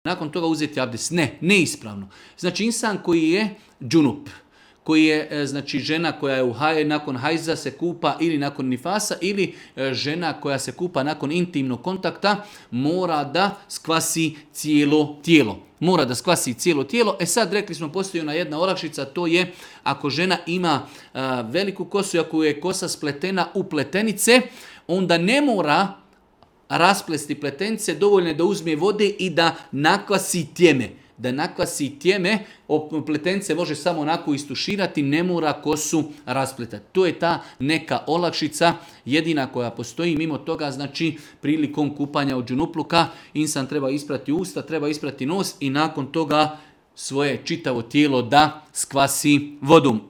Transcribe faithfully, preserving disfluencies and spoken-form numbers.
nakon toga uzeti abdest. Ne, neispravno. Znači insan koji je džunup, koji je znači žena koja je u haj, nakon hajza se kupa ili nakon nifasa ili žena koja se kupa nakon intimnog kontakta, mora da skvasi cijelo tijelo. Mora da skvasi cijelo tijelo. E sad rekli smo, postoji ona jedna olakšica, to je ako žena ima a, veliku kosu i ako je kosa spletena u pletenice, onda ne mora rasplesti pletenice, dovoljno je da uzme vode i da nakvasi tjeme. Da nakvasi tjeme, pletenice može samo onako istuširati, ne mora kosu raspletati. To je ta neka olakšica, jedina koja postoji. Mimo toga, znači, prilikom kupanja od džunupluka, insan treba isprati usta, treba isprati nos i nakon toga svoje čitavo tijelo da skvasi vodom.